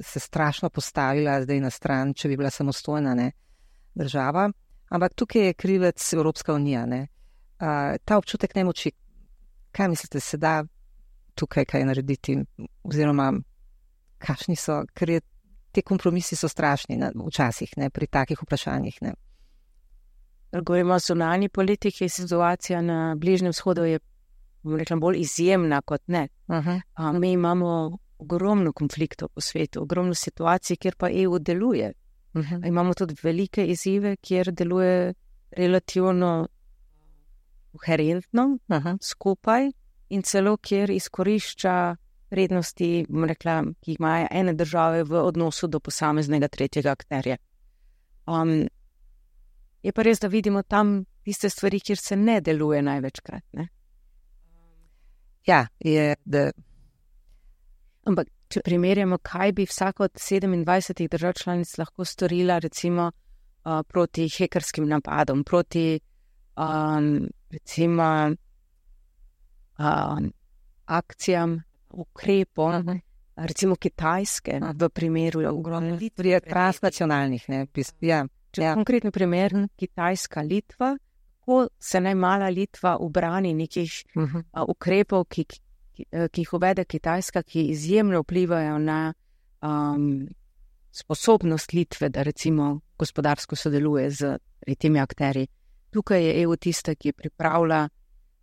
se strašno postavila zdaj na stran, če bi bila samostojna, ne, država. Ampak tukaj je krivec Evropska unija, ne. Ta občutek nemoči, kaj mislite, se da tukaj kaj narediti? Oziroma, kakšni so, ker te kompromisi so strašni včasih, ne, pri takih vprašanjih, ne. Govorimo o zunanji politiki, situacija na Bližnjem vzhodu je, bom rekla, bolj izjemna kot ne. Mi imamo ogromno konfliktov po svetu, ogromno situacij, kjer pa EU deluje. Imamo tudi velike izzive, kjer deluje relativno koherentno skupaj in celo kjer izkorišča prednosti, bom rekla, ki jih imajo ene države v odnosu do posameznega tretjega akterja. Je pa res, da vidimo tam tiste stvari, kjer se ne deluje največkrat, ne? Ja, je, da... Ampak, če primerjamo, kaj bi vsaka od 27 držav članic lahko storila, recimo, proti hekerskim napadom, proti, recimo, akcijam, ukrepom, recimo Kitajske, v primeru ogromne Litve, transnacionalnih, ne, ja. Konkretni primer, Kitajska, Litva, kako se najmala Litva ubrani nekih ukrepov, ki jih uvede Kitajska, ki izjemno vplivajo na sposobnost Litve, da recimo gospodarsko sodeluje z temi akterji. Tukaj je EU tista, ki pripravlja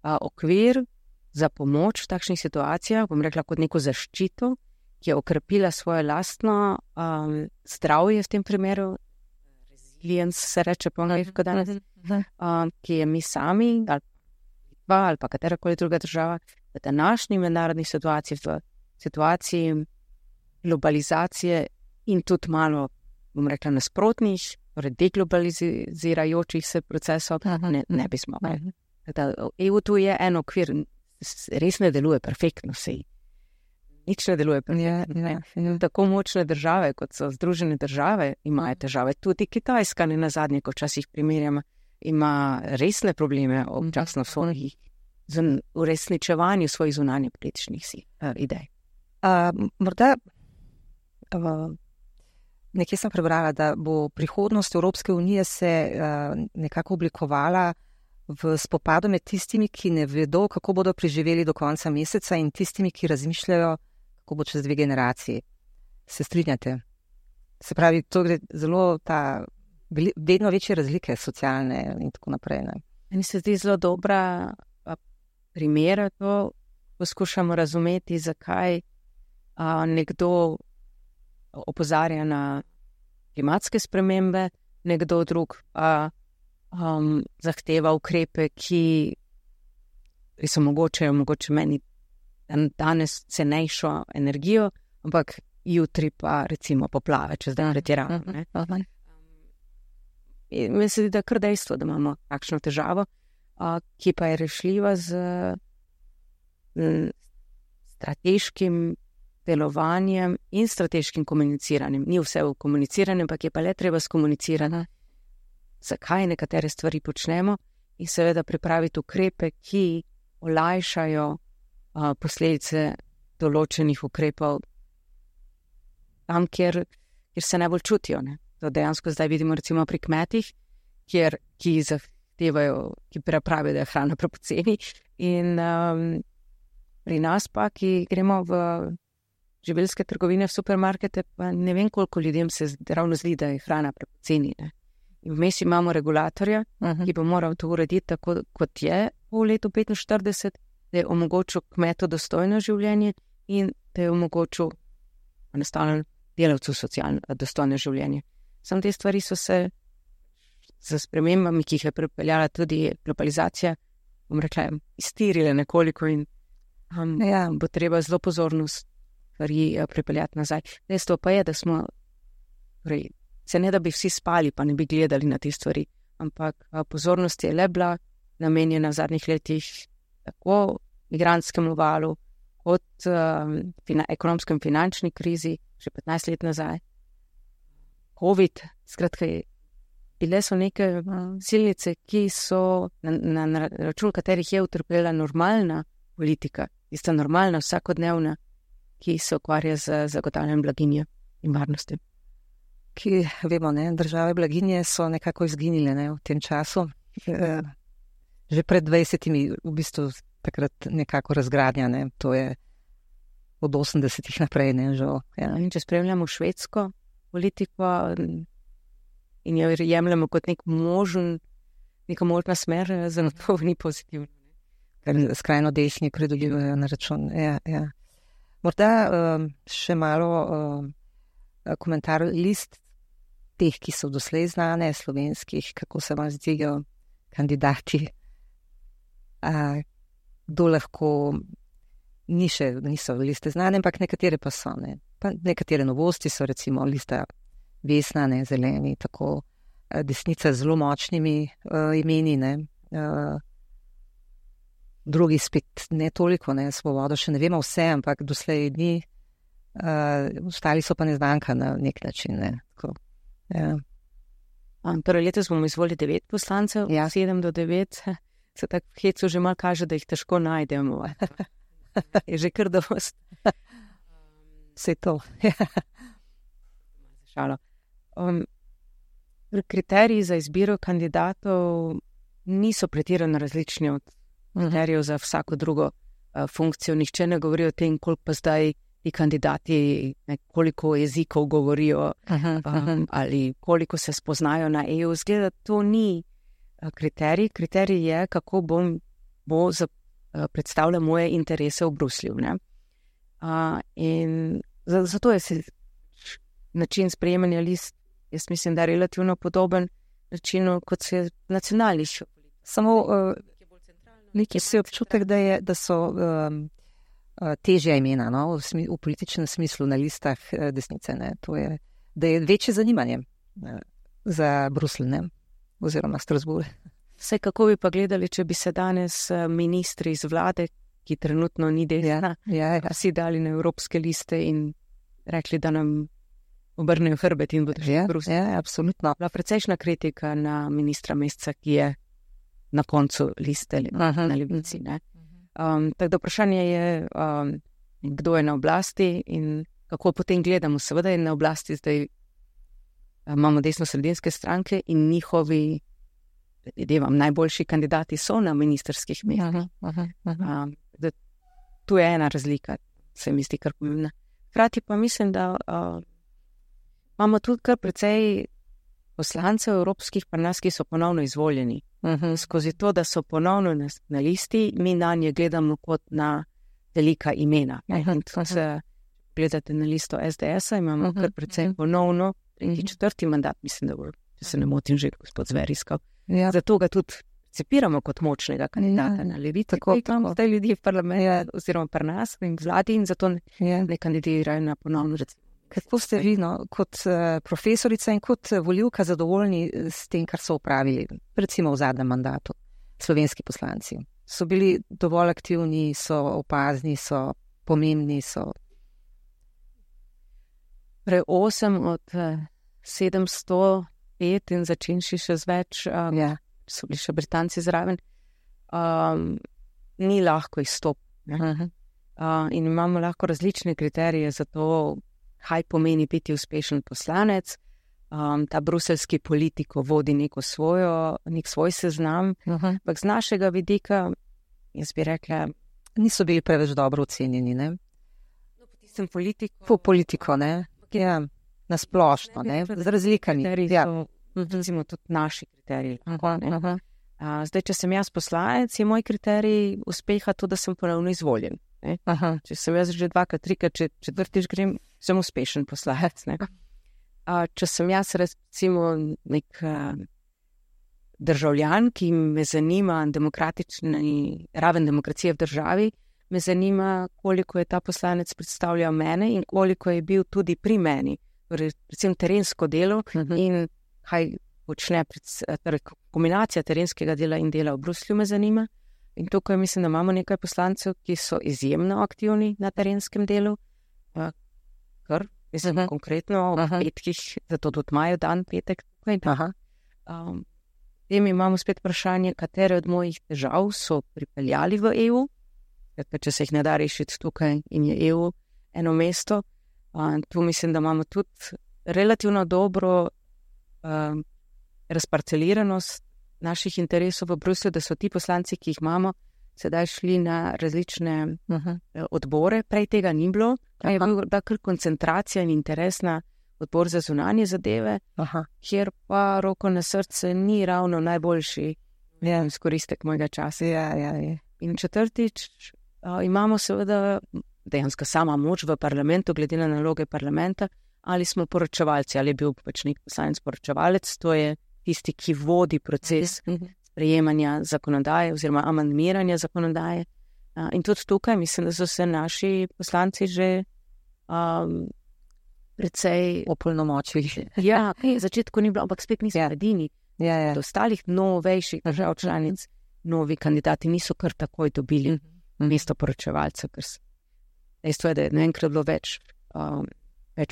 okvir za pomoč v takšnih situacijah, bom rekla kot neko zaščito, ki je okrepila svoje lastno zdravje v tem primeru, resilience se reče po angleško danes, ki je mi sami ali pa katerakoli druga država v današnji mednarodni situaciji, v situaciji globalizacije in tudi malo, bom rekla, nasprotnih, torej deglobalizirajočih se procesov, ne bi smogli. EU tu je en okvir, res ne deluje perfektno, sej. Nič ne deluje perfektno. Tako močne države, kot so Združene države, imajo težave. Tudi Kitajska, ne nazadnje, ko včasih primerjamo, ima resne probleme občasno z uresničevanju svojih zunanje političnih idej. Morda nekje sem prebrala, da bo prihodnost Evropske unije se nekako oblikovala v spopadu med tistimi, ki ne vedo, kako bodo preživeli do konca meseca, in tistimi, ki razmišljajo, kako bo čez 2 generaciji. Se strinjate? Se pravi, to gre zelo vedno večje razlike socialne in tako naprej. Ne? Meni se zdi zelo dobra primera to, poskušamo razumeti, zakaj nekdo opozarja na klimatske spremembe, nekdo drug zahteva ukrepe, ki so mogoče meni danes cenejšo energijo, ampak jutri pa recimo poplave, če zdaj pretiravam. Meni se zdi, da kar dejstvo, da imamo takšno težavo, ki pa je rešljiva z strateškim delovanjem in strateškim komuniciranjem. Ni vse v komuniciranju, ampak je pa le treba skomunicirati, zakaj nekatere stvari počnemo, in seveda pripraviti ukrepe, ki olajšajo posledice določenih ukrepov tam, kjer se najbolj čutijo. Ne? To dejansko zdaj vidimo recimo pri kmetih, ki pravijo, da je hrana prepoceni, in pri nas pa, ki gremo v živilske trgovine, v supermarkete, pa ne vem, koliko ljudem se ravno zdi, da je hrana prepoceni. In vmes imamo regulatorja, ki bo moral to urediti tako, kot je v letu 45, da je omogočil kmetu dostojno življenje in da je omogočil enostavno delavcu socialno dostojno življenje. Samo te stvari so se z spremembami, ki jih je pripeljala tudi globalizacija, bom rekla, iztirile nekoliko in bo treba zelo pozornost stvari pripeljati nazaj. Dejstvo pa je, da smo, se ne da bi vsi spali, pa ne bi gledali na te stvari, ampak pozornost je le bila namenjena v zadnjih letih tako migrantskemu valu, kot ekonomskem finančni krizi, že 15 let nazaj. COVID, skratka, bile so neke silnice, ki so na račun katerih je utrpela normalna politika, tista normalna, vsakodnevna, ki se ukvarja z zagotavljanjem blaginje in varnosti. Ki, vemo, države blaginje so nekako izginile v tem času. Že pred 20-imi v bistvu takrat nekako razgradnja, to je od 80-ih naprej, žal. Ja. In če spremljamo švedsko politiko in jo jemljamo kot neka možna smer, za to ni pozitivno. Ker skrajno desni pridobivajo na račun. Ja. Morda še malo komentar list teh, ki so doslej znane, slovenskih, kako se vam zdijo kandidati, kdo lahko niso liste znane, ampak nekatere pa so. Pa nekatere novosti so recimo lista Vesna, Zeleni, tako desnica z zelo močnimi imeni, drugi spet ne toliko, Svobodo še ne vemo vse, ampak doslej ni, ostali so pa neznanka na nek način. Tako, ja. Torej letos bomo izvolili 9 poslancev, 7 do 9, se tako v hecu že malo kaže, da jih težko najdemo. Je že kar dost. Vse to. Šalo. Kriteriji za izbiro kandidatov niso pretirano različni od kriterijev za vsako drugo funkcijo. Nihče ne govori o tem, koliko pa zdaj ti kandidati, koliko jezikov govorijo ali koliko se spoznajo na EU. Zgleda, to ni kriterij. Kriterij je, kako bo predstavlja moje interese v Bruslju. In zato je način sprejemanja list, jaz mislim, da je relativno podoben načinu, kot se nacionalnih. Samo nekaj se občutek, da so težja imena, v političnem smislu na listah desnice. Da je večje zanimanje za Bruselj, oziroma Strasbourg. Vse, kako bi pa gledali, če bi se danes ministri iz vlade, ki trenutno ni desna, vsi dali na evropske liste in rekli, da nam obrnejo hrbet in bodo šli v Bruselj. Ja, absolutno. Bila precejšna kritika na ministra Mesca, ki je na koncu liste na Levici. Tako da vprašanje je, kdo je na oblasti in kako potem gledamo. Seveda je na oblasti zdaj, imamo desno-sredinske stranke in njihovi najboljši kandidati so na ministerskih mestih. Tu je ena razlika, se mi zdi kar pomembna. Hkrati pa mislim, da imamo tudi kar precej poslancev evropskih pri nas, ki so ponovno izvoljeni. Skozi to, da so ponovno na listi, mi na nje gledamo kot na velika imena. Se gledate na listo SDS-a, imamo kar precej ponovno, četrti mandat, mislim, da bo, če se ne motim, že gospod Zver iskal. Zato ga tudi cepiramo kot močnega kandidata na Levici. Tako imamo zdaj ljudi v parlamentu oziroma pri nas in vladi in zato ne kandidirajo na ponovno recimo. Kako ste vi, kot profesorica in kot volivka zadovoljni s tem, kar so opravili, recimo v zadnjem mandatu, slovenski poslanci? So bili dovolj aktivni, so opazni, so pomembni, so... 8 od 705 in začenši še z več, so bili še Britanci zraven, ni lahko izstop. In imamo lahko različne kriterije za to, kaj pomeni biti uspešen poslanec. Ta bruseljski politiko vodi nek svoj seznam, ampak z našega vidika, jaz bi rekla, niso bili preveč dobro ocenjeni, ne? Sem politik. Po politiko, ne? Ja, nasplošno, ne? Z razlikami. Ja. Recimo tudi naši kriteriji. Zdaj, če sem jaz poslanec, je moj kriterij uspeha to, da sem ponovno izvoljen. Če sem jaz že 2-krat, 3-krat, četvrtič grem, sem uspešen poslanec. Če sem jaz recimo nek državljan, ki me zanima demokratični raven demokracije v državi, me zanima, koliko je ta poslanec predstavljal mene in koliko je bil tudi pri meni. Torej, predvsem terensko delo in kaj počne, torej kombinacija terenskega dela in dela v Bruslju me zanima. In tukaj mislim, da imamo nekaj poslancev, ki so izjemno aktivni na terenskem delu, kar mislim konkretno v petkih, zato tudi imajo dan petek tukaj. Potem imamo spet vprašanje, katere od mojih težav so pripeljali v EU, če se jih ne da rešiti tukaj in je EU eno mesto. Tu mislim, da imamo tudi relativno dobro razparceliranost naših interesov v Bruslju, da so ti poslanci, ki jih imamo, sedaj šli na različne odbore. Prej tega ni bilo, je bil kar koncentracija in interes na odbor za zunanje zadeve, kjer pa roko na srce ni ravno najboljši izkoristek mojega časa. In četrtič, imamo seveda dejansko sama moč v parlamentu, glede na naloge parlamenta, ali smo poročevalci, ali je bil pač nek poslanec poročevalec, to je tisti, ki vodi proces sprejemanja zakonodaje oziroma amandmiranja zakonodaje. In tudi tukaj mislim, da so se naši poslanci že precej opolnomočili. Ja, v začetku ni bilo, ampak spet niso edini. Do ostalih novejših držav članic novi kandidati niso kar takoj dobili mesto poročevalca, ker dejstvo je, da je naenkrat bilo več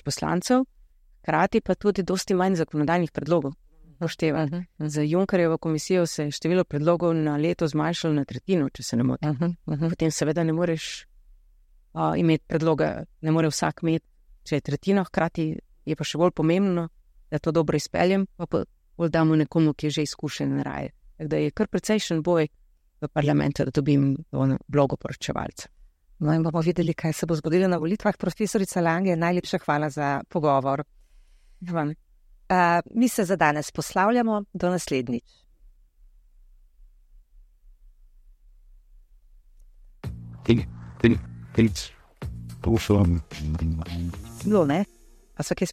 poslancev, hkrati pa tudi dosti manj zakonodajnih predlogov. Za Junckerjevo komisijo se je število predlogov na leto zmanjšalo na tretjino, če se ne motim. Potem seveda ne moreš imeti predloga, ne more vsak imeti, če je tretjino, hkrati je pa še bolj pomembno, da to dobro izpeljem, pa bolj damo nekomu, ki je že izkušen raje. Tako da je kar precejšen boj v parlamentu, da dobim vlogo poročevalca. No in bomo videli, kaj se bo zgodilo na volitvah. Profesorica Lange, najlepša hvala za pogovor. Mi se za danes poslavljamo, do naslednjič. Bilo, ne? A so kje